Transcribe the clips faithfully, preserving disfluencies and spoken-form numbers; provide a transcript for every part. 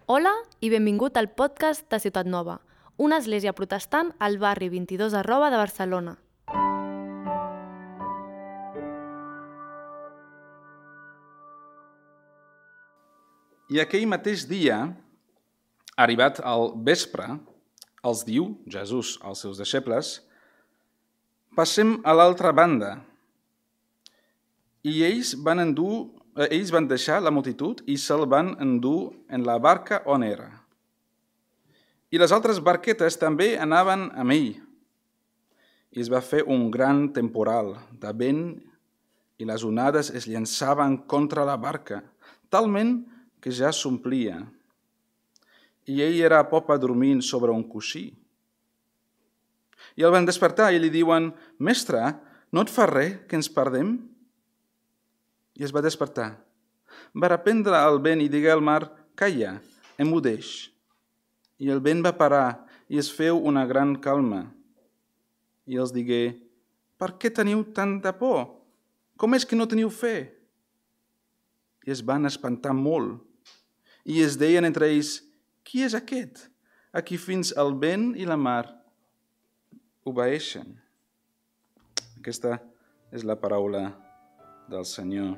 Hola i benvingut al podcast de Ciutat Nova, una església protestant al barri vint-i-dos arroba de Barcelona. I aquell mateix dia, arribat al vespre, els diu, Jesús als seus deixebles, passem a l'altra banda. I ells van, endur, eh, ells van deixar la multitud i se'l van endur en la barca on era. I les altres barquetes també anaven amb ell. I es va fer un gran temporal de vent i les onades es llançaven contra la barca, talment que ja s'omplia. I ell era a popa dormint sobre un coixí. I el van despertar i li diuen: «Mestre, no et fa res que ens perdem?» I es va despertar. Va reprendre el vent i digué al mar: «Calla, emmudeix». I el vent va parar i es feu una gran calma. I els digué: «Per què teniu tanta por? Com és que no teniu fe?» I es van espantar molt. I es deien entre ells: «Qui és aquest, a qui fins el vent i la mar obeeixen?» Aquesta és la paraula del Senyor.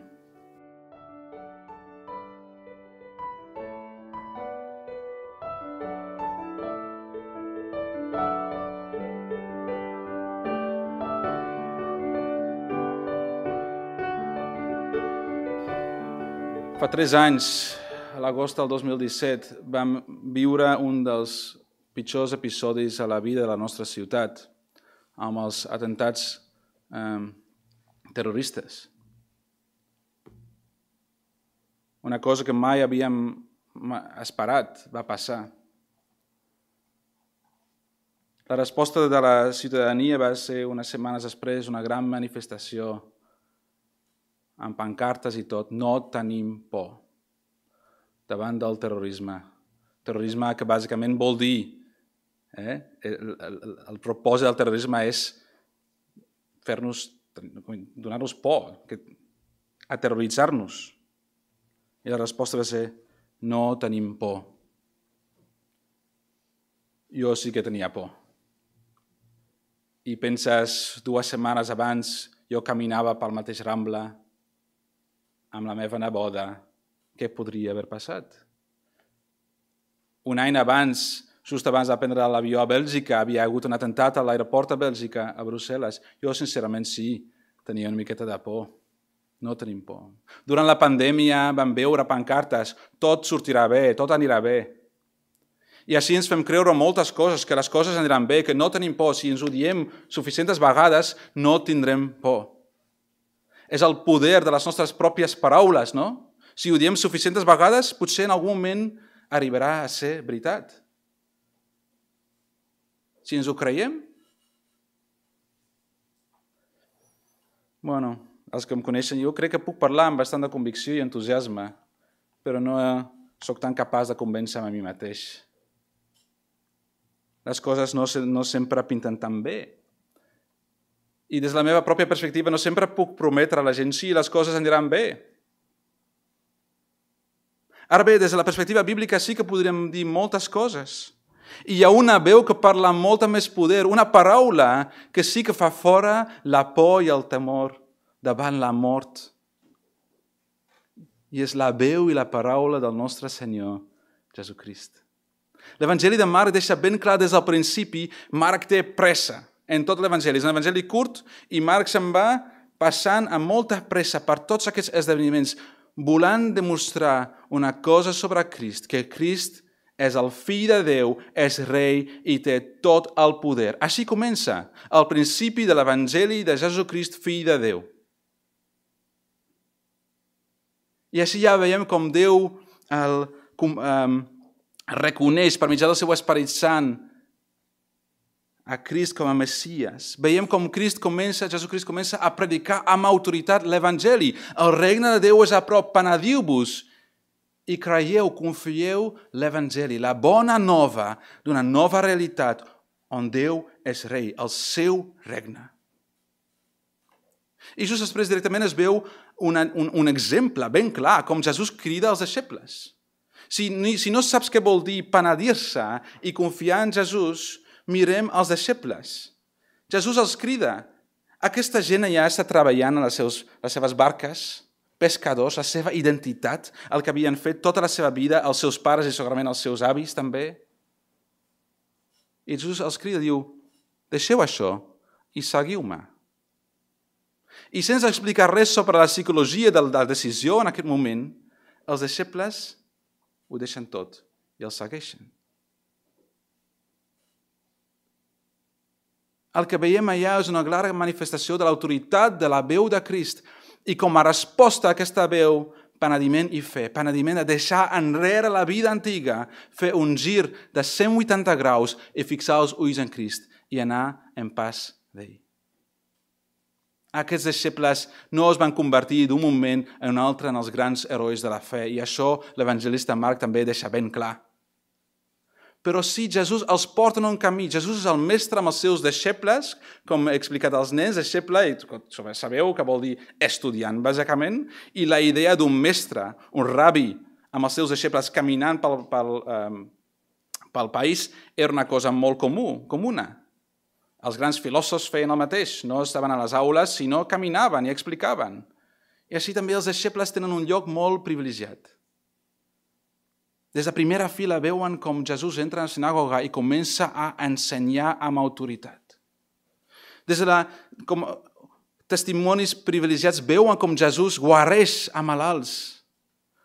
Fa tres anys, a l'agost del dos mil disset, vam viure un dels pitjors episodis a la vida de la nostra ciutat, amb els atemptats eh, terroristes. Una cosa que mai havíem esperat va passar. La resposta de la ciutadania va ser, unes setmanes després, una gran manifestació amb pancartes i tot: «No tenim por» davant del terrorisme. Terrorisme que bàsicament vol dir, eh? el, el, el propòsit del terrorisme és fer-nos, donar-nos por, que, aterroritzar-nos. I la resposta va ser: no tenim por. Jo sí que tenia por. I penses, dues setmanes abans jo caminava pel mateix Rambla amb la meva neboda. Què podria haver passat? Un any abans, just abans de prendre l'avió a Bèlgica, havia hagut un atemptat a l'aeroport de Bèlgica, a Brussel·les. Jo, sincerament, sí, tenia una miqueta de por. No tenim por. Durant la pandèmia vam veure pancartes: tot sortirà bé, tot anirà bé. I així ens fem creure moltes coses, que les coses aniran bé, que no tenim por. Si ens ho diem suficients vegades, no tindrem por. És el poder de les nostres pròpies paraules, no? Si ho diem suficients vegades, potser en algun moment arribarà a ser veritat. Si ens ho creiem? Bueno, els que em coneixen, jo crec que puc parlar amb bastant de convicció i entusiasme, però no sóc tan capaç de convèncer a mi mateix. Les coses no, no sempre pinten tan bé. I des de la meva pròpia perspectiva no sempre puc prometre a la gent: sí, les coses aniran bé. Ara bé, des de la perspectiva bíblica sí que podríem dir moltes coses. I hi ha una veu que parla amb molta més poder, una paraula que sí que fa fora la por i el temor davant la mort. I és la veu i la paraula del nostre Senyor Jesucrist. L'Evangeli de Marc deixa ben clar des del principi: Marc té pressa en tot l'Evangeli. És un evangeli curt i Marc se'n va passant amb molta pressa per tots aquests esdeveniments, volant demostrar una cosa sobre Crist, que Crist és el fill de Déu, és rei i té tot el poder. Així comença el principi de l'Evangeli de Jesucrist, fill de Déu. I així ja veiem com Déu el, com, um, reconeix per mitjà del seu Esperit Sant a Crist com a Messies. Veiem com Crist comença, Jesucrist comença a predicar amb autoritat l'Evangeli. El regne de Déu és a prop, penediu-vos i creieu, confieu l'Evangeli, la bona nova d'una nova realitat on Déu és rei, el seu regne. I just després directament es veu una, un, un exemple ben clar, com Jesús crida als deixebles. Si, si no saps què vol dir penedir-se i confiar en Jesús, mirem els deixebles. Jesús els crida. Aquesta gent ja està treballant en les, seus, les seves barques, pescadors, la seva identitat, el que havien fet tota la seva vida, els seus pares i segurament els seus avis també. I Jesús els crida i diu, deixeu això i seguiu-me. I sense explicar res sobre la psicologia de la decisió en aquest moment, els deixebles ho deixen tot i els segueixen. El que veiem allà és una clara manifestació de l'autoritat de la veu de Crist i com a resposta a aquesta veu, penediment i fe, penediment de deixar enrere la vida antiga, fer un gir de cent vuitanta graus i fixar els ulls en Crist i anar en pas d'ell. Aquests deixebles no es van convertir d'un moment en un altre en els grans herois de la fe i això l'evangelista Marc també deixa ben clar. Però sí, Jesús els porta en un camí. Jesús és el mestre amb els seus deixebles, com he explicat als nens, deixeble, i sabeu que vol dir estudiant, bàsicament, i la idea d'un mestre, un rabi, amb els seus deixebles caminant pel, pel, um, pel país, era una cosa molt comú, comuna. Els grans filòsofs feien el mateix, no estaven a les aules, sinó caminaven i explicaven. I així també els deixebles tenen un lloc molt privilegiat. Des de primera fila veuen com Jesús entra a la sinagoga i comença a ensenyar amb autoritat. Des de la, com testimonis privilegiats veuen com Jesús guareix a malalts,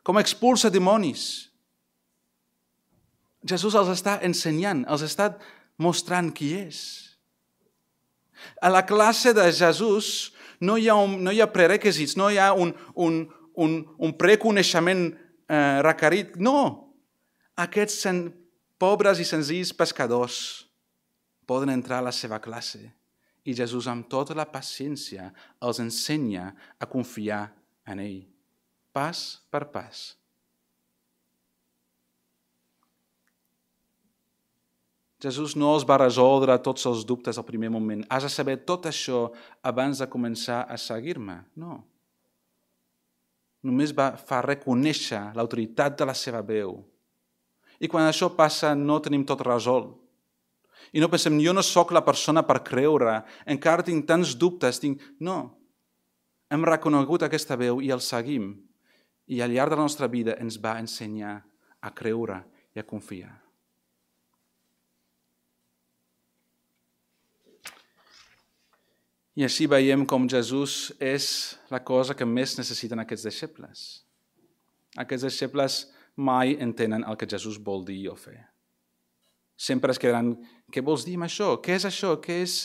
com expulsa dimonis. Jesús els està ensenyant, els està mostrant qui és. A la classe de Jesús no hi ha, un, no hi ha prerequisits, no hi ha un, un, un, un preconeixement eh, requerit, no. Aquests sen, pobres i senzills pescadors poden entrar a la seva classe i Jesús amb tota la paciència els ensenya a confiar en ell, pas per pas. Jesús no els va resoldre tots els dubtes al primer moment. Has de saber tot això abans de començar a seguir-me. No. Només va fa reconèixer l'autoritat de la seva veu. I quan això passa no tenim tot resolt. I no pensem, jo no sóc la persona per creure, encara tinc tants dubtes. Tinc... No. Hem reconegut aquesta veu i el seguim. I al llarg de la nostra vida ens va ensenyar a creure i a confiar. I així veiem com Jesús és la cosa que més necessiten aquests deixebles. Aquests deixebles mai entenen el que Jesús vol dir o fer. Sempre es quedaran, què vols dir amb això? Què és això? Què és?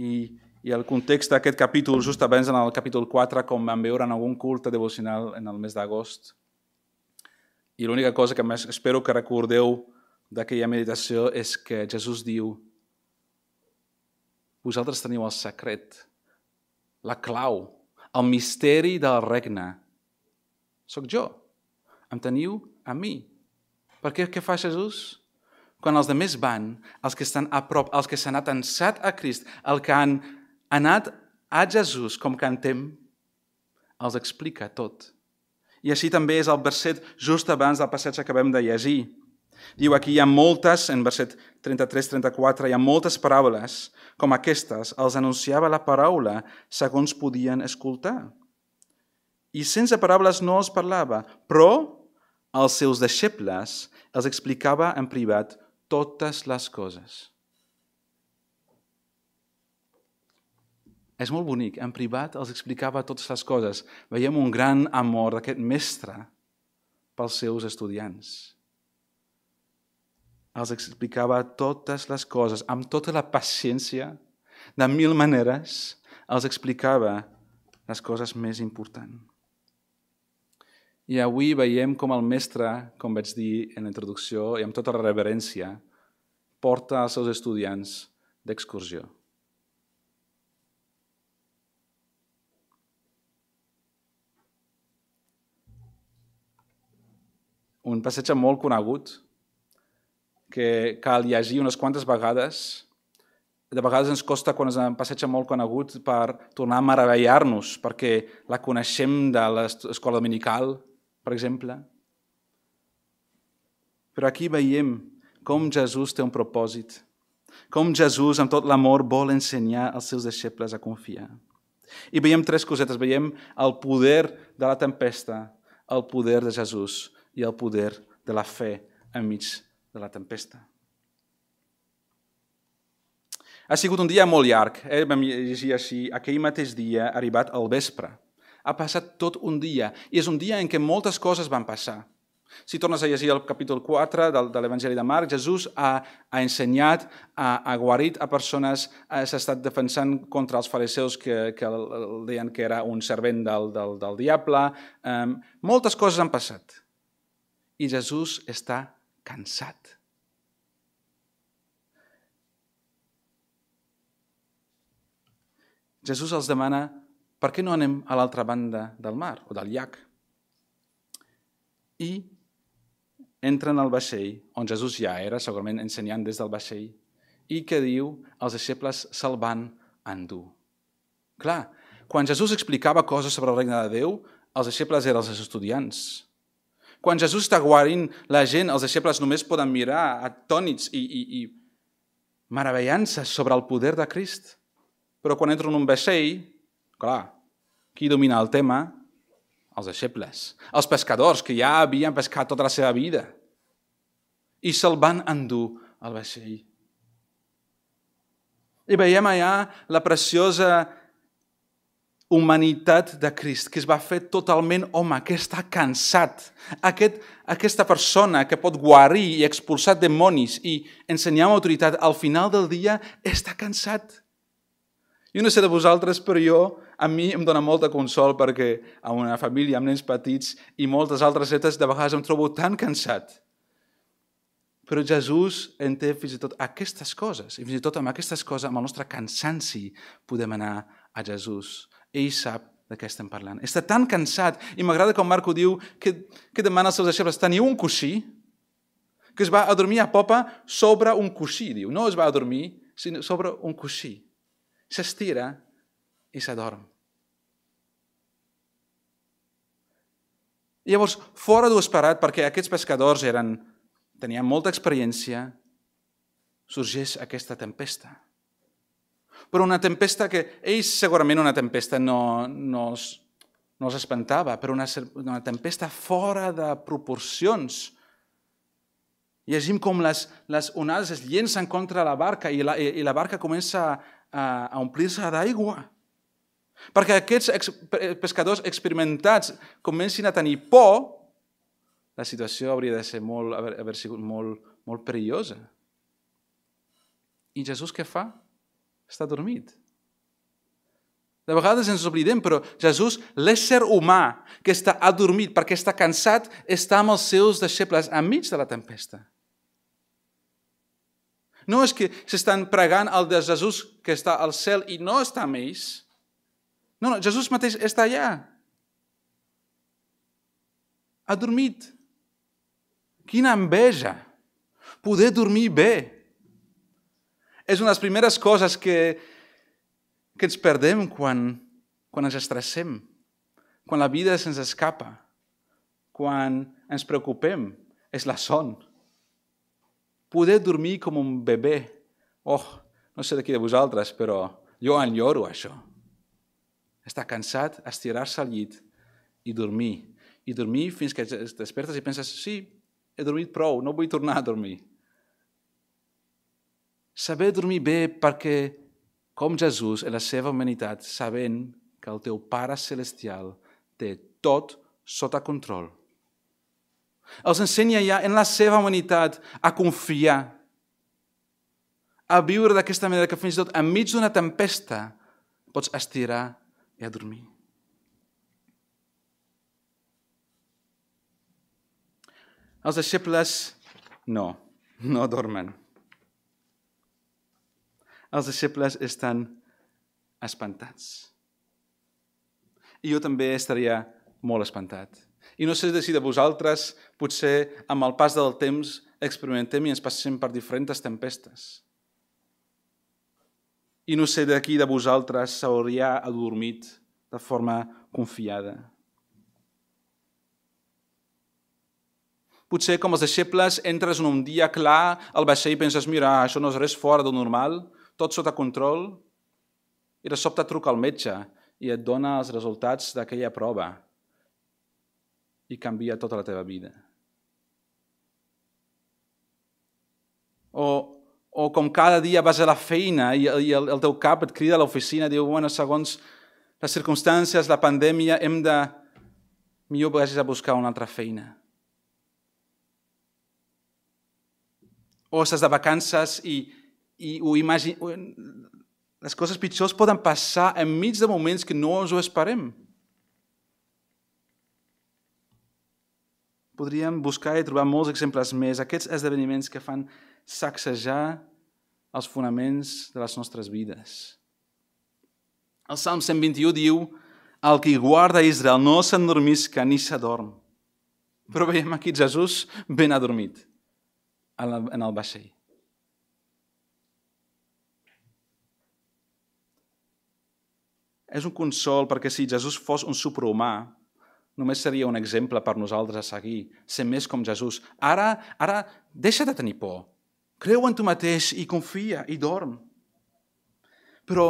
I, i el context d'aquest capítol, just abans en el capítol quatre, com vam veure en algun culte devocional en el mes d'agost. I l'única cosa que més espero que recordeu d'aquella meditació és que Jesús diu, vosaltres teniu el secret, la clau, el misteri del regne. Soc jo. Em teniu a mi. Per què, què fa Jesús? Quan els altres van, els que estan a prop, els que s'han atensat a Crist, els que han anat a Jesús, com cantem, els explica tot. I així també és el verset just abans del passatge que acabem de llegir. Diu aquí, hi ha moltes, en verset trenta-tres trenta-quatre, hi ha moltes paraules com aquestes, els anunciava la paraula segons podien escoltar. I sense paraules no els parlava, però als seus deixebles els explicava en privat totes les coses. És molt bonic, en privat els explicava totes les coses. Veiem un gran amor d'aquest mestre pels seus estudiants. Els explicava totes les coses, amb tota la paciència, de mil maneres, els explicava les coses més importants. I avui veiem com el mestre, com vaig dir en la introducció, i amb tota la reverència, porta els seus estudiants d'excursió. Un passatge molt conegut, que cal llegir unes quantes vegades. De vegades ens costa, quan és un passatge molt conegut, per tornar a meravellar-nos, perquè la coneixem de l'escola dominical, per exemple. Però aquí veiem com Jesús té un propòsit, com Jesús, amb tot l'amor, vol ensenyar als seus deixebles a confiar. I veiem tres cosetes. Veiem el poder de la tempesta, el poder de Jesús i el poder de la fe enmig de la tempesta. Ha sigut un dia molt llarg. Eh? Vam llegir així, aquell mateix dia, arribat al vespre. Ha passat tot un dia, i és un dia en què moltes coses van passar. Si tornes a llegir el capítol quatre de l'Evangeli de Marc, Jesús ha, ha ensenyat, ha, ha guarit a persones, s'ha estat defensant contra els fariseus que, que el, el deien que era un servent del, del, del diable. Um, moltes coses han passat. I Jesús està cansat. Jesús els demana, per què no anem a l'altra banda del mar o del llac? I entren al vaixell, on Jesús ja era, segurament ensenyant des del vaixell, i que diu, els deixebles se'l van endur. Clar, quan Jesús explicava coses sobre el regne de Déu, els deixebles eren els estudiants. Quan Jesús està guarint la gent, els deixebles només poden mirar atònits i, i, i meravellant-se sobre el poder de Crist. Però quan entren en un vaixell, clar, qui domina el tema? Els deixebles, els pescadors que ja havien pescat tota la seva vida i se'l van endur al vaixell. I veiem allà la preciosa humanitat de Crist, que es va fer totalment home, que està cansat. Aquest, aquesta persona que pot guarir i expulsar dimonis i ensenyar amb autoritat, al final del dia està cansat. Jo no sé de vosaltres, però jo, a mi em dona molta consol perquè a una família amb nens petits i moltes altres etes de vegades em trobo tan cansat. Però Jesús en té fins i tot aquestes coses, i fins i tot amb aquestes coses, amb el nostre cansanci, podem anar a Jesús. Ell sap de què estem parlant. Està tan cansat, i m'agrada com Marc ho diu, que, que demana als seus deixebles, teniu un coixí? Que es va a dormir a popa sobre un coixí, diu. No es va a dormir, sinó sobre un coixí. S'estira i s'adorm. Llavors, fora d'ho esperat, perquè aquests pescadors eren, tenien molta experiència, sorgeix aquesta tempesta. Però una tempesta que ells segurament una tempesta no, no, els, no els espantava, però una, una tempesta fora de proporcions. Llegim com les, les onades es llencen contra la barca i la, i la barca comença a a omplir-se d'aigua. Perquè aquests ex pescadors experimentats comencin a tenir por, la situació hauria de ser molt, haver, haver sigut molt, molt perillosa. I Jesús què fa? Està dormit. De vegades ens oblidem, però Jesús, l'ésser humà que està adormit perquè està cansat, està amb els seus deixebles enmig de la tempesta. No és que s'estan pregant al de Jesús que està al cel i no està amb ells. No, no, Jesús mateix està allà. Ha dormit. Quina enveja. Poder dormir bé. És una de les primeres coses que, que ens perdem quan, quan ens estressem, quan la vida se'ns escapa, quan ens preocupem. És la son. Poder dormir com un bebè. Oh, no sé de qui de vosaltres, però jo enyoro això. Estar cansat, estirar-se al llit i dormir. I dormir fins que et despertes i penses, sí, he dormit prou, no vull tornar a dormir. Saber dormir bé perquè, com Jesús, en la seva humanitat, sabent que el teu Pare Celestial té tot sota control. Els ensenya ja en la seva humanitat a confiar, a viure d'aquesta manera que fins i tot enmig d'una tempesta pots estirar i a dormir. Els deixebles no, no dormen. Els deixebles estan espantats. I jo també estaria molt espantat. I no sé si de vosaltres, potser amb el pas del temps, experimentem i ens passem per diferents tempestes. I no sé de qui de vosaltres s'hauria adormit de forma confiada. Potser, com els deixebles, entres en un dia clar al vaixell i penses, mira, això no és res fora del normal, tot sota control, i de sobte truca al metge i et dona els resultats d'aquella prova i canvia tota la teva vida. O, o com cada dia vas a la feina i, i el, el teu cap et crida a l'oficina i diu, bueno, segons les circumstàncies, la pandèmia, hem de... millor vagis a buscar una altra feina. O estàs de vacances i, i ho imagines... Les coses pitjors poden passar enmig de moments que no ens ho esperem. Podríem buscar i trobar molts exemples més, aquests esdeveniments que fan sacsejar els fonaments de les nostres vides. El Salm cent vint-i-u diu: el qui guarda Israel no s'endormisca ni s'adorm. Però veiem aquí Jesús ben adormit en el vaixell. És un consol perquè si Jesús fos un superhumà, només seria un exemple per nosaltres a seguir, ser més com Jesús. Ara, ara deixa de tenir por. Creu en tu mateix i confia i dorm. Però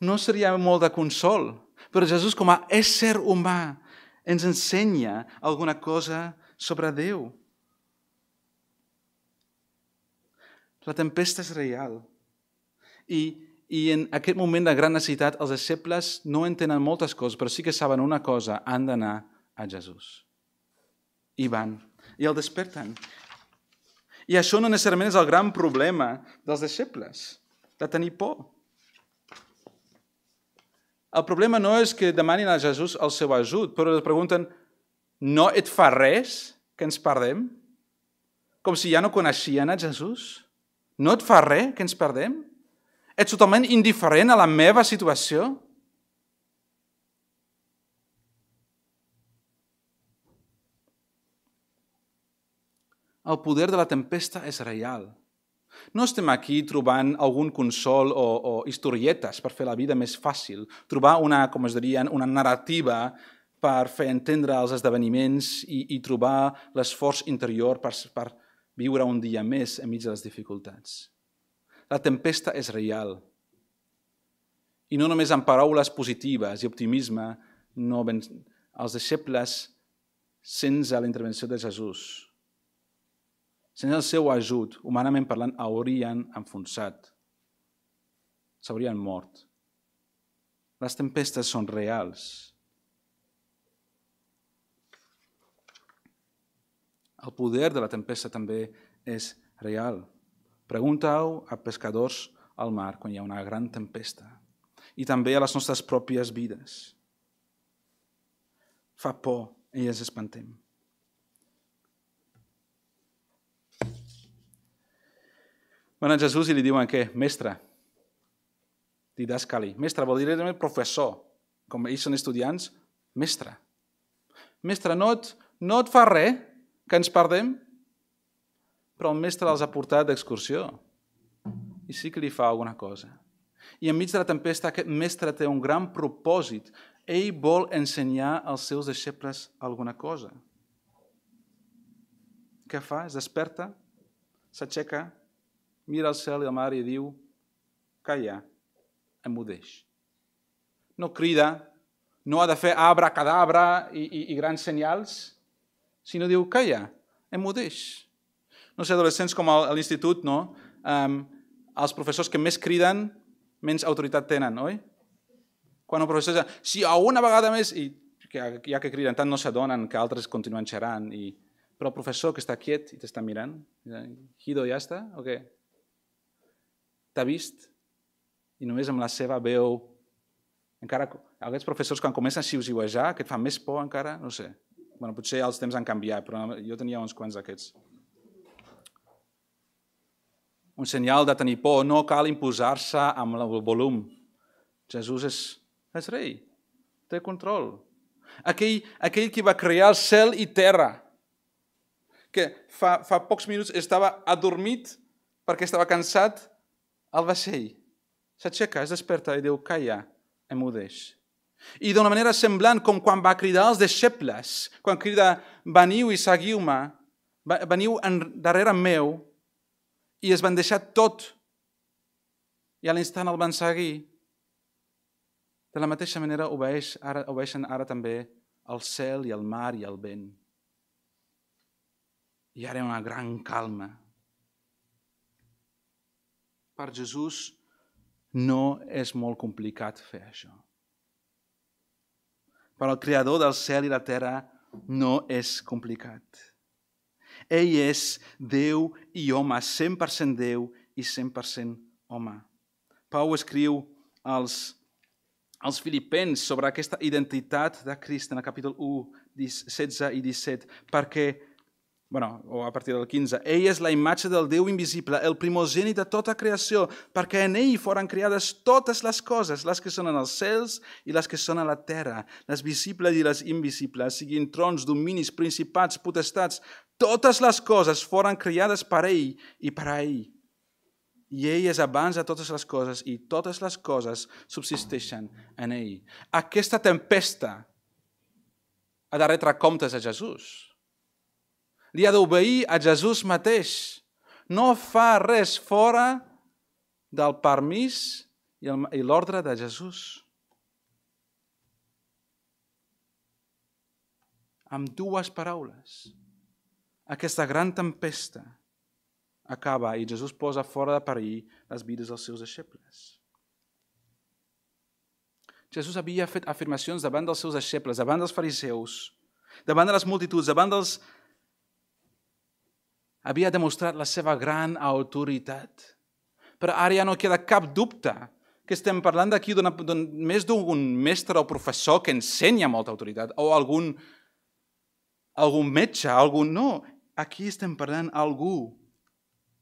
no seria molt de consol. Però Jesús, com a ésser humà, ens ensenya alguna cosa sobre Déu. La tempesta és real. I, i en aquest moment de gran necessitat, els deixebles no entenen moltes coses, però sí que saben una cosa, han d'anar a Jesús. I van. I el desperten. I això no necessàriament és el gran problema dels deixebles, de tenir por. El problema no és que demanin a Jesús el seu ajut, però es pregunten, no et fa res que ens perdem? Com si ja no coneixien a Jesús? No et fa res que ens perdem? Ets totalment indiferent a la meva situació? El poder de la tempesta és real. No estem aquí trobant algun consol o, o historietes per fer la vida més fàcil, trobar una, com es dirien, una narrativa per fer entendre els esdeveniments i, i trobar l'esforç interior per, per viure un dia més enmig de les dificultats. La tempesta és real. I no només amb paraules positives i optimisme, no ben... els deixebles, sense la intervenció de Jesús, sense el seu ajut, humanament parlant, haurien enfonsat. S'haurien mort. Les tempestes són reals. El poder de la tempesta també és real. Pregunta-ho a pescadors al mar quan hi ha una gran tempesta. I també a les nostres pròpies vides. Fa por i ens espantem. Van a Jesús i li diuen què? Mestre. Didascali. Mestre vol dir professor. Com ells són estudiants, mestre. Mestre, no et, no et fa res que ens perdem? Però el mestre els ha portat d'excursió. I sí que li fa alguna cosa. I enmig de la tempesta aquest mestre té un gran propòsit. Ell vol ensenyar als seus deixebles alguna cosa. Què fa? Es desperta, s'aixeca, mira al cel i al mar i diu, calla, emudeix. No crida, no ha de fer abracadabra i, i, i grans senyals, sinó diu, calla, emudeix. No sé, adolescents com a l'institut, no? Um, els professors que més criden, menys autoritat tenen, oi? Quan un professor diu, si a una vegada més, i que, ja que criden tant no s'adonen que altres continuen xerrant, i... però el professor que està quiet i t'està mirant, Guido, ja està? O què? T'ha vist? I només amb la seva veu... Encara, aquests professors quan comencen a xiuxiuejar, que et fan més por encara, no sé. Bueno, potser els temps han canviat, però jo tenia uns quants d'aquests. Un senyal de tenir por, no cal imposar-se amb el volum. Jesús és, és rei, té control. Aquell, aquell que va crear el cel i terra, que fa, fa pocs minuts estava adormit perquè estava cansat al vaixell. S'aixeca, es desperta i diu, calla, emudeix. I d'una manera semblant com quan va cridar als deixebles, quan crida, veniu i seguiu-me, veniu darrere meu i es van deixar tot i a l'instant el van seguir. De la mateixa manera obeix, ara, obeixen ara també el cel i el mar i el vent. I ara hi ha una gran calma. Per Jesús no és molt complicat fer això. Per al Creador del cel i la terra no és complicat. Ell és Déu i home, cent per cent Déu i cent per cent home. Pau escriu als, als Filipens sobre aquesta identitat de Crist en el capítol u, setze i disset, perquè, bueno, o a partir del quinze, ell és la imatge del Déu invisible, el primogènit de tota creació, perquè en ell foren creades totes les coses, les que són en els cels i les que són a la terra, les visibles i les invisibles, siguin trons, dominis, principats, potestats, totes les coses foren creades per ell i per a ell. I ell és abans de totes les coses i totes les coses subsisteixen en ell. Aquesta tempesta ha de retre comptes a Jesús. Li ha d'obeir a Jesús mateix. No fa res fora del permís i l'ordre de Jesús. Amb dues paraules, aquesta gran tempesta acaba i Jesús posa fora de perill les vides dels seus deixebles. Jesús havia fet afirmacions davant dels seus deixebles, davant dels fariseus, davant de les multituds, davant dels... Havia demostrat la seva gran autoritat. Però ara ja no queda cap dubte que estem parlant d'aquí d'un més d'un mestre o professor que ensenya molta autoritat, o algun, algun metge, algun... No, aquí estem parlant d'algú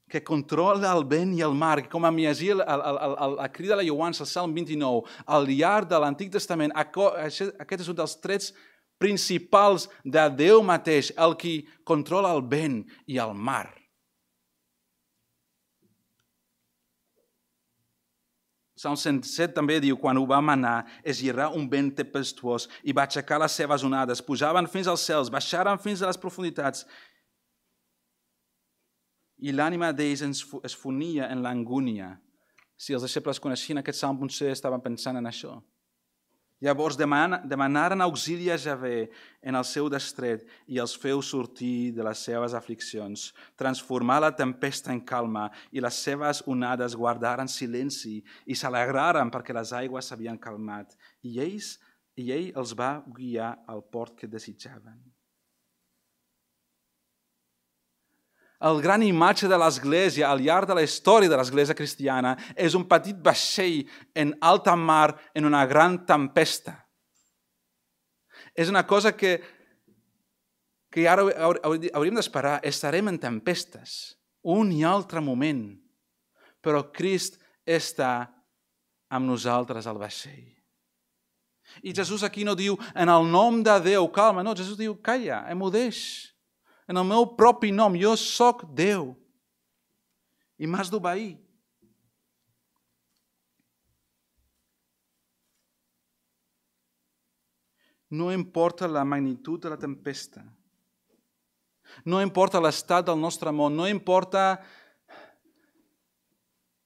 que controla el vent i el mar, que com a llegir la crida de la Lloança, el Salm vint-i-nou, al llarg de l'Antic Testament, aquest és un dels trets principals de Déu mateix, el qui controla el vent i el mar. Salm cent set també diu, quan ho va manar, es lliurà un vent tempestuós i va aixecar les seves onades, pujaven fins als cels, baixaren fins a les profunditats, i l'ànima d'ells es fonia en l'angúnia. Si els deixebles coneixien aquest salm, potser estaven pensant en això. Llavors demanaren auxili a Javé en el seu destret i els feu sortir de les seves afliccions, transformar la tempesta en calma i les seves onades guardaren silenci i s'alegraren perquè les aigües s'havien calmat i, ells, i ell els va guiar al port que desitjaven. El gran imatge de l'Església al llarg de la història de l'Església cristiana és un petit vaixell en alta mar en una gran tempesta. És una cosa que, que ara hauríem d'esperar. Estarem en tempestes, un i altre moment, però Crist està amb nosaltres al vaixell. I Jesús aquí no diu, en el nom de Déu, calma, no, Jesús diu, calla, emudeix. En el meu propi nom, jo sóc Déu i m'has d'obeir. No importa la magnitud de la tempesta, no importa l'estat del nostre món, no importa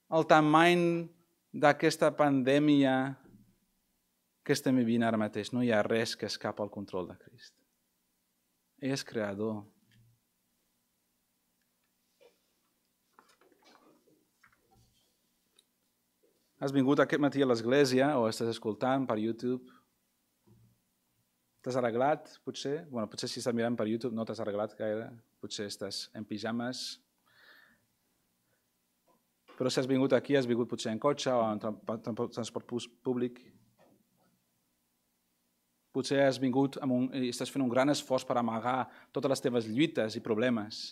el tamany d'aquesta pandèmia que estem vivint ara mateix, no hi ha res que escapa al control de Crist. Ell és creador. Has vingut aquest matí a l'església o estàs escoltant per YouTube? T'has arreglat, potser? Bueno, potser si estàs mirant per YouTube no t'has arreglat gaire. Potser estàs en pijames. Però si has vingut aquí, has vingut potser en cotxe o en transport públic. Potser has vingut amb un, i estàs fent un gran esforç per amagar totes les teves lluites i problemes.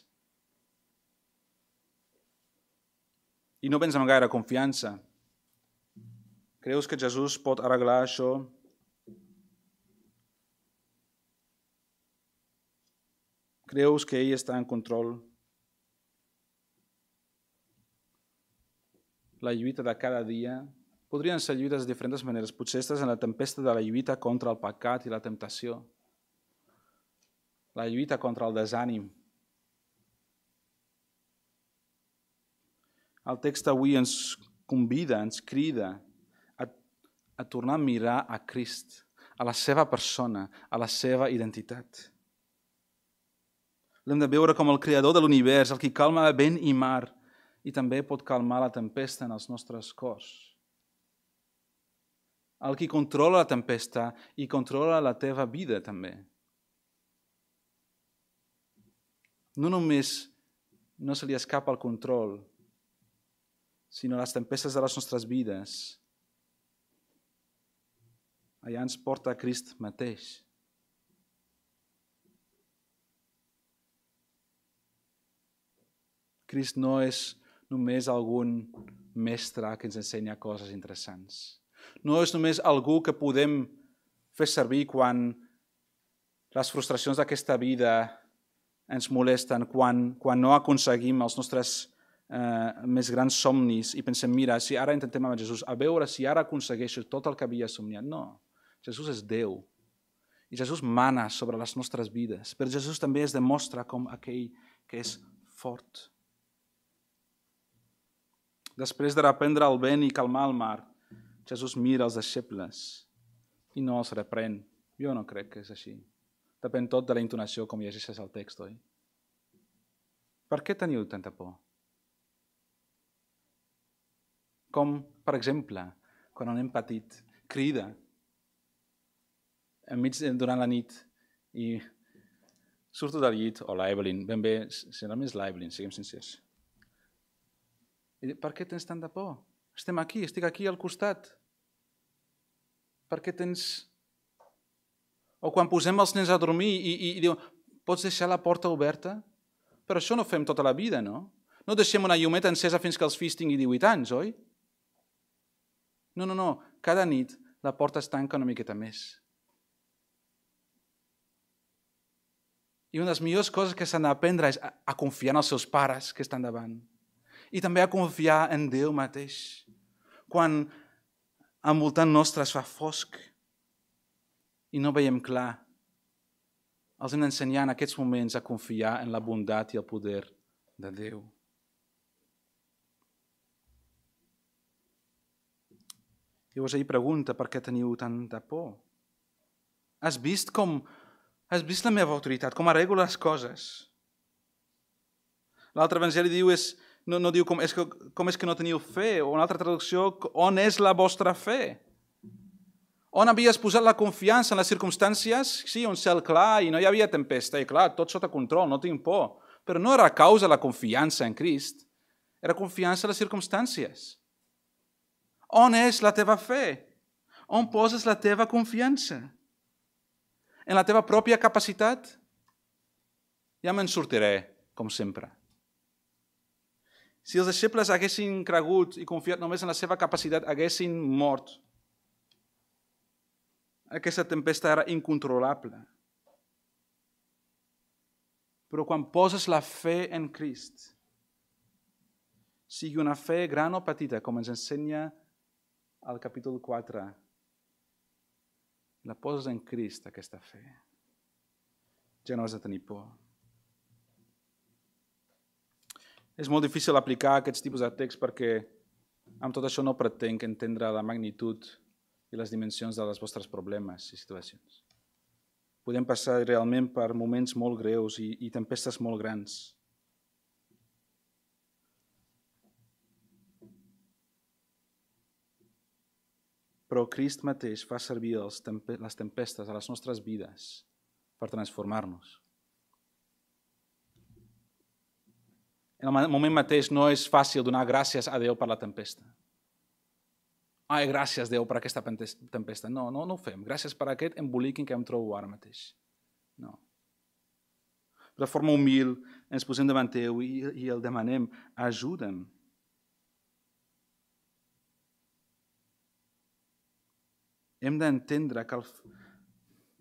I no vens amb gaire confiança. Creus que Jesús pot arreglar això? Creus que ell està en control? La lluita de cada dia podrien ser lluites de diferents maneres. Potser estàs en la tempesta de la lluita contra el pecat i la temptació. La lluita contra el desànim. El text avui ens convida, ens crida a, a tornar a mirar a Crist, a la seva persona, a la seva identitat. L'hem de veure com el creador de l'univers, el qui calma vent i mar, i també pot calmar la tempesta en els nostres cors. El qui controla la tempesta i controla la teva vida també. No només no se li escapa el control, sinó les tempestes de les nostres vides. Allà ens porta a Crist mateix. Crist no és només algun mestre que ens ensenya coses interessants. No és només algú que podem fer servir quan les frustracions d'aquesta vida ens molesten, quan, quan no aconseguim els nostres eh, més grans somnis i pensem, mira, si ara intentem amb Jesús, a veure si ara aconsegueixo tot el que havia somniat. No, Jesús és Déu. I Jesús mana sobre les nostres vides. Però Jesús també es demostra com aquell que és fort. Després de reprendre el vent i calmar el mar, Jesús mira els deixebles i no els reprèn. Jo no crec que és així. Depèn tot de la intonació com llegeixes el text, oi? Per què teniu tanta por? Com, per exemple, quan un nen petit crida enmig durant la nit i surto del llit, o l'Evelyn, ben bé, serà més l'Evelyn, siguem sincers. I dic, per què tens tanta por? Estem aquí, estic aquí al costat. Per què tens... O quan posem els nens a dormir i, i, i diu, pots deixar la porta oberta? Però això no fem tota la vida, no? No deixem una llumeta encesa fins que els fills tinguin divuit anys, oi? No, no, no. Cada nit la porta es tanca una miqueta més. I una de les millors coses que s'han d'aprendre és a, a confiar en els seus pares que estan davant. I també a confiar en Déu mateix. Quan envoltant nostre es fa fosc i no veiem clar, els hem d'ensenyar en aquests moments a confiar en la bondat i el poder de Déu. Llavors ell pregunta per què teniu tanta por. Has vist com... Has vist la meva autoritat, com arreglo les coses? L'altre evangeli diu és, no, no diu com és, que, com és que no teniu fe, o una altra traducció, on és la vostra fe? On havies posat la confiança en les circumstàncies? Sí, un cel clar i no hi havia tempesta, i clar, tot sota control, no tinc por. Però no era causa la confiança en Crist, era confiança en les circumstàncies. On és la teva fe? On poses la teva confiança? En la teva pròpia capacitat? Ja me'n sortiré, com sempre. Si els deixebles haguessin cregut i confiat només en la seva capacitat, haguessin mort. Aquesta tempesta era incontrolable. Però quan poses la fe en Crist, sigui una fe gran o petita, com ens ensenya al capítol quatre, la poses en Crist, aquesta fe. Ja no has de tenir por. És molt difícil aplicar aquests tipus de text perquè amb tot això no pretenc entendre la magnitud i les dimensions dels vostres problemes i situacions. Podem passar realment per moments molt greus i, i tempestes molt grans. Però Crist mateix fa servir els tempe- les tempestes a les nostres vides per transformar-nos. En el moment mateix no és fàcil donar gràcies a Déu per la tempesta. Ai, gràcies, Déu, per aquesta tempesta. No, no, no ho fem. Gràcies per aquest embolic en què em trobo ara mateix. No. De forma humil ens posem davant teu i, i el demanem, ajuda'm. Hem d'entendre que, el,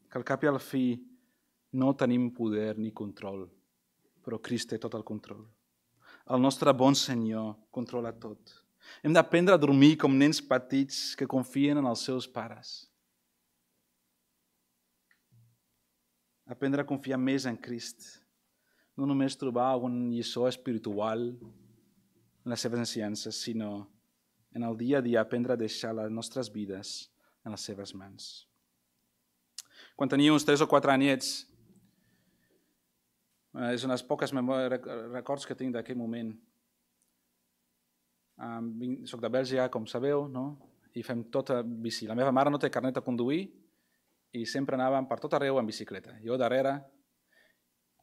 que al cap i al fi no tenim poder ni control, però Crist té tot el control. El nostre bon Senyor controla tot. Hem d'aprendre a dormir com nens petits que confien en els seus pares. Aprendre a confiar més en Crist. No només trobar algun lliçó espiritual, en les seves ensenyances, sinó en el dia a dia aprendre a deixar les nostres vides en les seves mans. Quan tenia uns tres o quatre anyets, és unes poques records que tinc d'aquell moment. Soc de Bèlgica, com sabeu, no? I fem tota bici. La meva mare no té carnet de conduir i sempre anàvem per tot arreu en bicicleta. Jo darrere.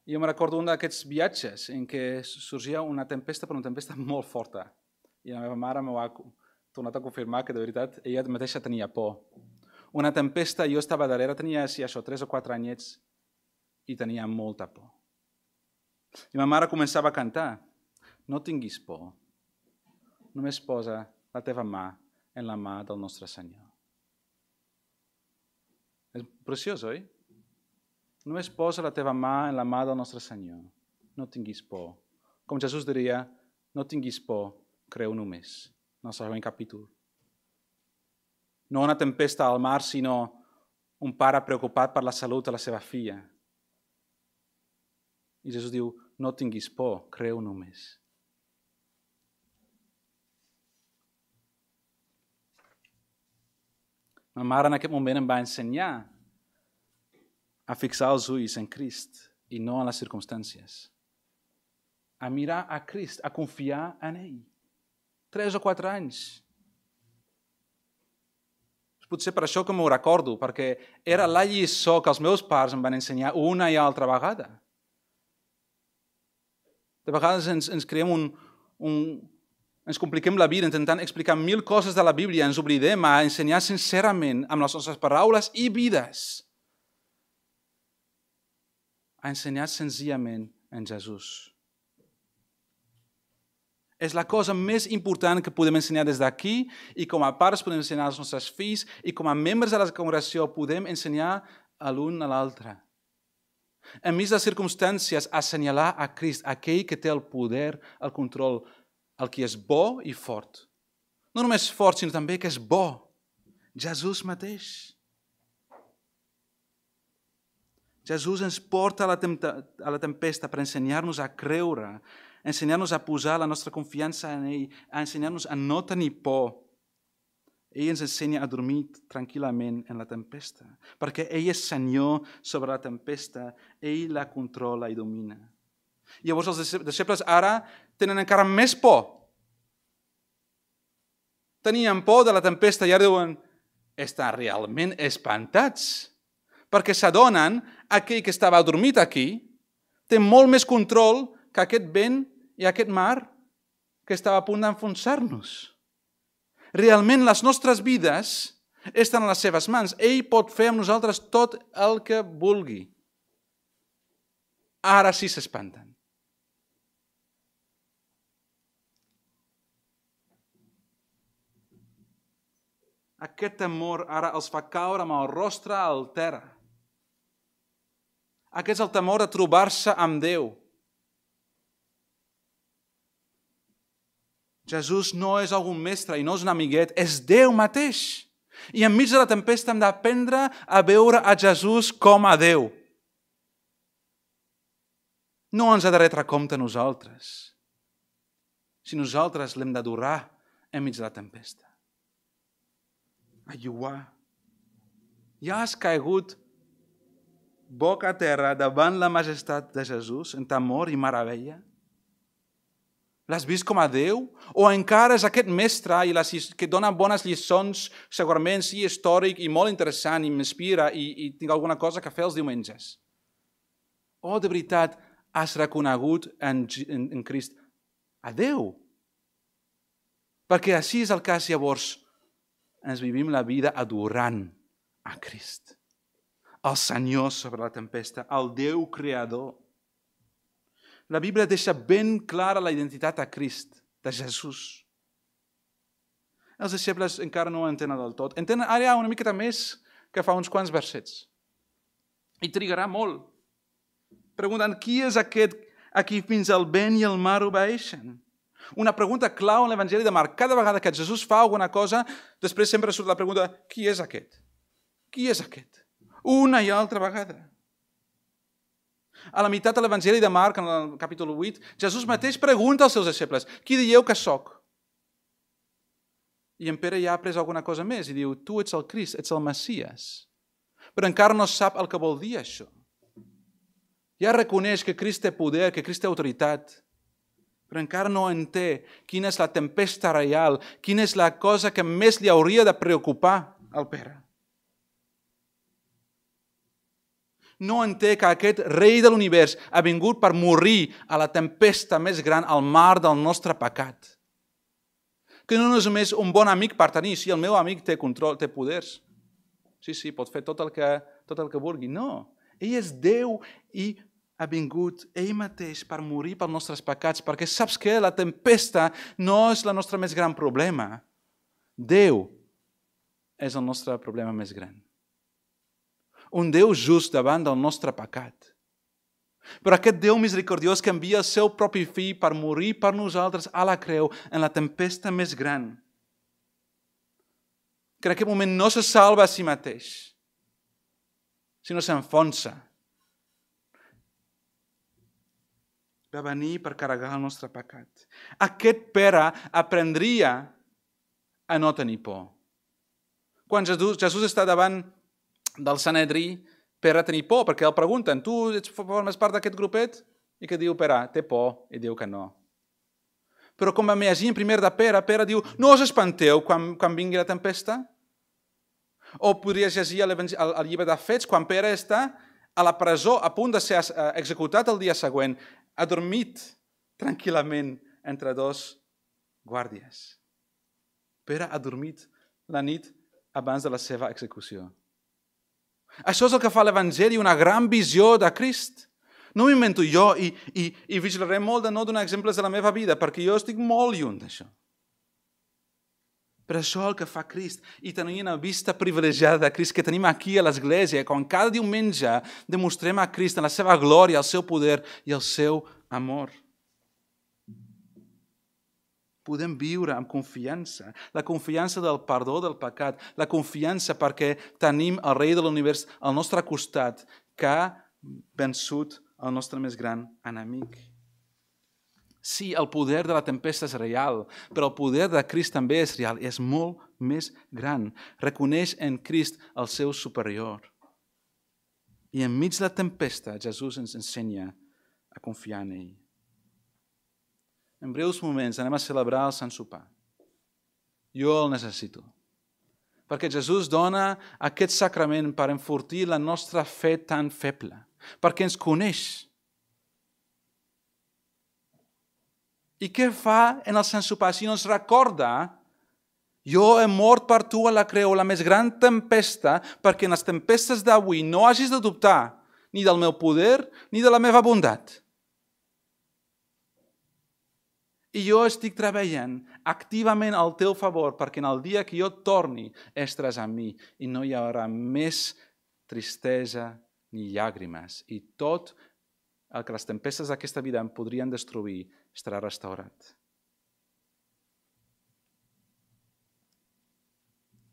I jo me recordo un d'aquests viatges en què sorgia una tempesta, però una tempesta molt forta. I la meva mare m'ho ha tornat a confirmar que de veritat ella mateixa tenia por. Una tempesta, jo estava darrere, tenia si això, tres o quatre anyets i tenia molta por. I ma mare començava a cantar: no tinguis por, només posa la teva mà en la mà del nostre Senyor. És preciós, oi? Només posa la teva mà en la mà del nostre Senyor. No tinguis por. Com Jesús diria, no tinguis por, creu només. En el següent capítol. No una tempesta al mar, sinó un pare preocupat per la salut de la seva filla. I Jesús diu, no tinguis por, creu només. Ma mare en aquest moment em va ensenyar a fixar els ulls en Crist i no en les circumstàncies. A mirar a Crist, a confiar en ell. Tres o quatre anys. Potser per això que m'ho recordo, perquè era la lliçó que els meus pares em van ensenyar una i altra vegada. De vegades ens, ens creem un, un... ens compliquem la vida intentant explicar mil coses de la Bíblia, ens oblidem a ensenyar sincerament amb les nostres paraules i vides. A ensenyar senzillament en Jesús. És la cosa més important que podem ensenyar des d'aquí i com a pares podem ensenyar als nostres fills i com a membres de la congregació podem ensenyar a l'un a l'altre. Enmig de les circumstàncies, assenyalar a Crist, aquell que té el poder, el control, el que és bo i fort. No només fort, sinó també que és bo. Jesús mateix. Jesús ens porta a la, a la tempesta per ensenyar-nos a creure, ensenyar-nos a posar la nostra confiança en ell, a ensenyar-nos a no tenir por. Ell ens ensenya a dormir tranquil·lament en la tempesta, perquè ell és Senyor sobre la tempesta, ell la controla i domina. I llavors els deixebles ara tenen encara més por. Tenien por de la tempesta i ara diuen, estan realment espantats, perquè s'adonen aquell que estava adormit aquí té molt més control que aquest vent i aquest mar que estava a punt d'enfonsar-nos. Realment les nostres vides estan a les seves mans. Ell pot fer amb nosaltres tot el que vulgui. Ara sí s'espanten. Aquest temor ara els fa caure amb el rostre al terra. Aquest és el temor de trobar-se amb Déu. Jesús no és algun mestre i no és un amiguet, és Déu mateix. I enmig de la tempesta hem d'aprendre a veure a Jesús com a Déu. No ens ha de retre compte a nosaltres, si nosaltres l'hem d'adorar enmig de la tempesta. Ayuar. Ja has caigut boca a terra davant la majestat de Jesús en temor i meravella? L'has vist com a Déu? O encara és aquest mestre i les, que dona bones lliçons, segurament sí, històric i molt interessant i m'inspira i, i tinc alguna cosa que fer els diumenges? O de veritat has reconegut en, en, en Crist a Déu? Perquè així és el cas, llavors, ens vivim la vida adorant a Crist, el Senyor sobre la tempesta, el Déu creador. La Bíblia deixa ben clara la identitat a Crist, de Jesús. Els deixebles encara no ho entenen del tot. Entenen ara una miqueta més que fa uns quants versets. I trigarà molt. Preguntant, qui és aquest a qui fins el vent i el mar obeeixen? Una pregunta clau en l'Evangeli de Marc. Cada vegada que Jesús fa alguna cosa, després sempre surt la pregunta, qui és aquest? Qui és aquest? Una i altra vegada. A la meitat de l'Evangeli de Marc, en el capítol vuit, Jesús mateix pregunta als seus deixebles, qui dieu que sóc? I en Pere ja ha après alguna cosa més i diu, tu ets el Crist, ets el Messies. Però encara no sap el que vol dir això. Ja reconeix que Crist té poder, que Crist té autoritat, però encara no entén quina és la tempesta real, quina és la cosa que més li hauria de preocupar al Pere. No entén que aquest rei de l'univers ha vingut per morir a la tempesta més gran, al mar del nostre pecat. Que no és només un bon amic per tenir, si el meu amic té control, té poders. Sí, sí, pot fer tot el que, tot el que vulgui. No, ell és Déu i ha vingut ell mateix per morir pels nostres pecats, perquè saps què? La tempesta no és el nostre més gran problema. Déu és el nostre problema més gran. Un Déu just davant del nostre pecat. Però aquest Déu misericordiós que envia el seu propi fill per morir per nosaltres a la creu en la tempesta més gran, que en aquest moment no se salva a si mateix, sinó s'enfonsa. Va venir per carregar el nostre pecat. Aquest Pere aprendria a no tenir por. Quan Jesús, Jesús està davant del Sanedrí, Pere tenir por, perquè el pregunten, tu ets, formes part d'aquest grupet? I que diu Pere, té por, i diu que no. Però com vam llegir en primer de Pere, Pere diu, no us espanteu quan, quan vingui la tempesta? O podries llegir el, el llibre de Fets, quan Pere està a la presó, a punt de ser executat el dia següent, ha dormit tranquil·lament entre dos guàrdies. Pere ha dormit la nit abans de la seva execució. Això és el que fa l'Evangeli, una gran visió de Crist. No m'invento jo i, i, i vigilaré molt de no donar exemples de la meva vida, perquè jo estic molt lluny d'això. Però això és el que fa Crist. I tenim una vista privilegiada de Crist que tenim aquí a l'Església, quan cada diumenge demostrem a Crist en la seva glòria, el seu poder i el seu amor. Podem viure amb confiança, la confiança del perdó del pecat, la confiança perquè tenim el rei de l'univers al nostre costat, que ha vençut el nostre més gran enemic. Sí, el poder de la tempesta és real, però el poder de Crist també és real, és molt més gran. Reconeix en Crist el seu superior. I enmig de la tempesta, Jesús ens ensenya a confiar en ell. En breus moments anem a celebrar el Sant Sopar. Jo el necessito. Perquè Jesús dona aquest sacrament per enfortir la nostra fe tan feble. Perquè ens coneix. I què fa en el Sant Sopar? Si no ens recorda, jo he mort per tu a la creu, la més gran tempesta, perquè en les tempestes d'avui no hagis de dubtar ni del meu poder ni de la meva bondat. I jo estic treballant activament al teu favor perquè en el dia que jo torni estaràs amb mi i no hi haurà més tristesa ni llàgrimes. I tot el que les tempestes d'aquesta vida em podrien destruir estarà restaurat.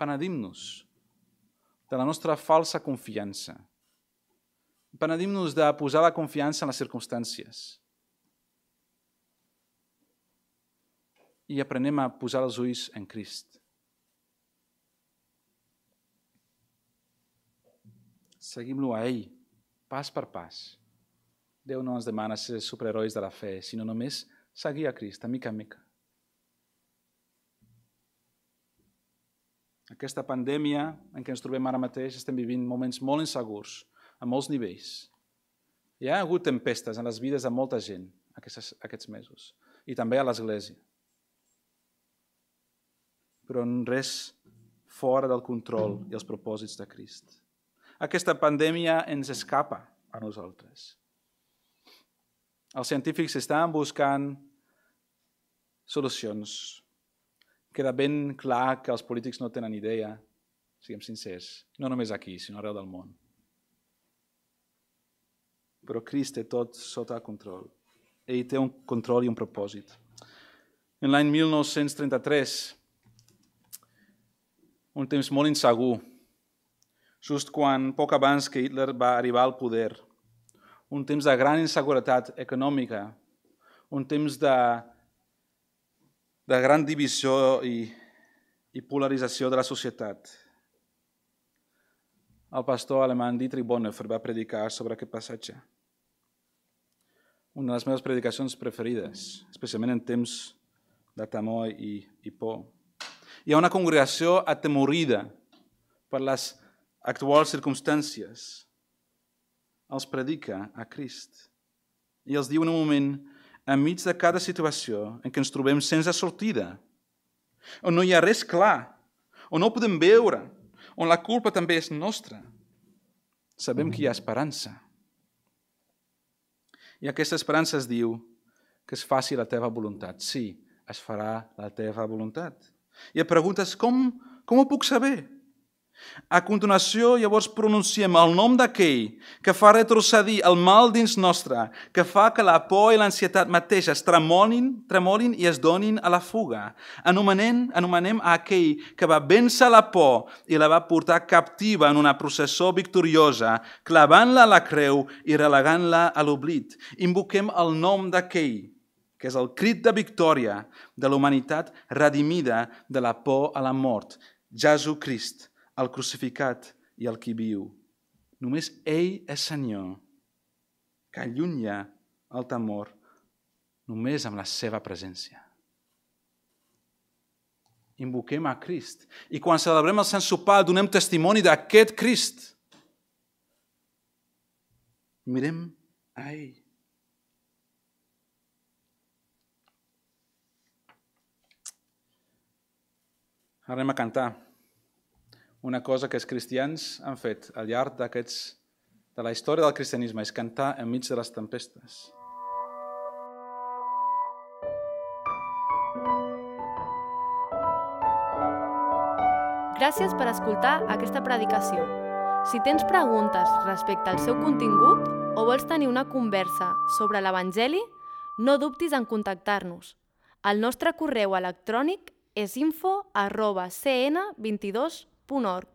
Penedim-nos de la nostra falsa confiança. Penedim-nos de posar la confiança en les circumstàncies. I aprenem a posar els ulls en Crist. Seguim-lo a ell, pas per pas. Déu no ens demana ser superherois de la fe, sinó només seguir a Crist, a mica a mica. Aquesta pandèmia en què ens trobem ara mateix estem vivint moments molt insegurs, a molts nivells. Hi ha hagut tempestes en les vides de molta gent aquests, aquests mesos, i també a l'Església. Però res fora del control i els propòsits de Crist. Aquesta pandèmia ens escapa a nosaltres. Els científics estan buscant solucions. Queda ben clar que els polítics no tenen idea, siguem sincers, no només aquí, sinó arreu del món. Però Crist té tot sota control. Ell té un control i un propòsit. En l'any mil nou-cents trenta-tres, un temps molt insegur, just quan, poc abans que Hitler va arribar al poder, un temps de gran inseguretat econòmica, un temps de, de gran divisió i, i polarització de la societat. El pastor alemany Dietrich Bonhoeffer va predicar sobre aquest passatge. Una de les meves predicacions preferides, especialment en temps de temor i, i por. Hi ha una congregació atemorida per les actuals circumstàncies. Els predica a Crist. I els diu en un moment, enmig de cada situació en què ens trobem sense sortida, on no hi ha res clar, on no ho podem veure, on la culpa també és nostra, sabem que hi ha esperança. I aquesta esperança es diu que es faci la teva voluntat. Sí, es farà la teva voluntat. I et preguntes, com, com ho puc saber? A continuació, llavors, pronunciem el nom d'aquell que fa retrocedir el mal dins nostre, que fa que la por i l'ansietat mateixes tremolin, tremolin i es donin a la fuga. Anomenem, anomenem a aquell que va vèncer la por i la va portar captiva en una processó victoriosa, clavant-la a la creu i relegant-la a l'oblit. Invoquem el nom d'aquell, que és el crit de victòria de la humanitat redimida de la por a la mort, Jesucrist, el crucificat i el qui viu. Només ell és Senyor, que allunya el temor només amb la seva presència. Invoquem a Crist. I quan celebrem el Sant Sopar donem testimoni d'aquest Crist. Mirem a ell. Ara anem a cantar. Una cosa que els cristians han fet al llarg d'aquests, de la història del cristianisme és cantar enmig de les tempestes. Gràcies per escoltar aquesta predicació. Si tens preguntes respecte al seu contingut o vols tenir una conversa sobre l'Evangeli, no dubtis en contactar-nos. El nostre correu electrònic és info arroba c n vint dos punt org.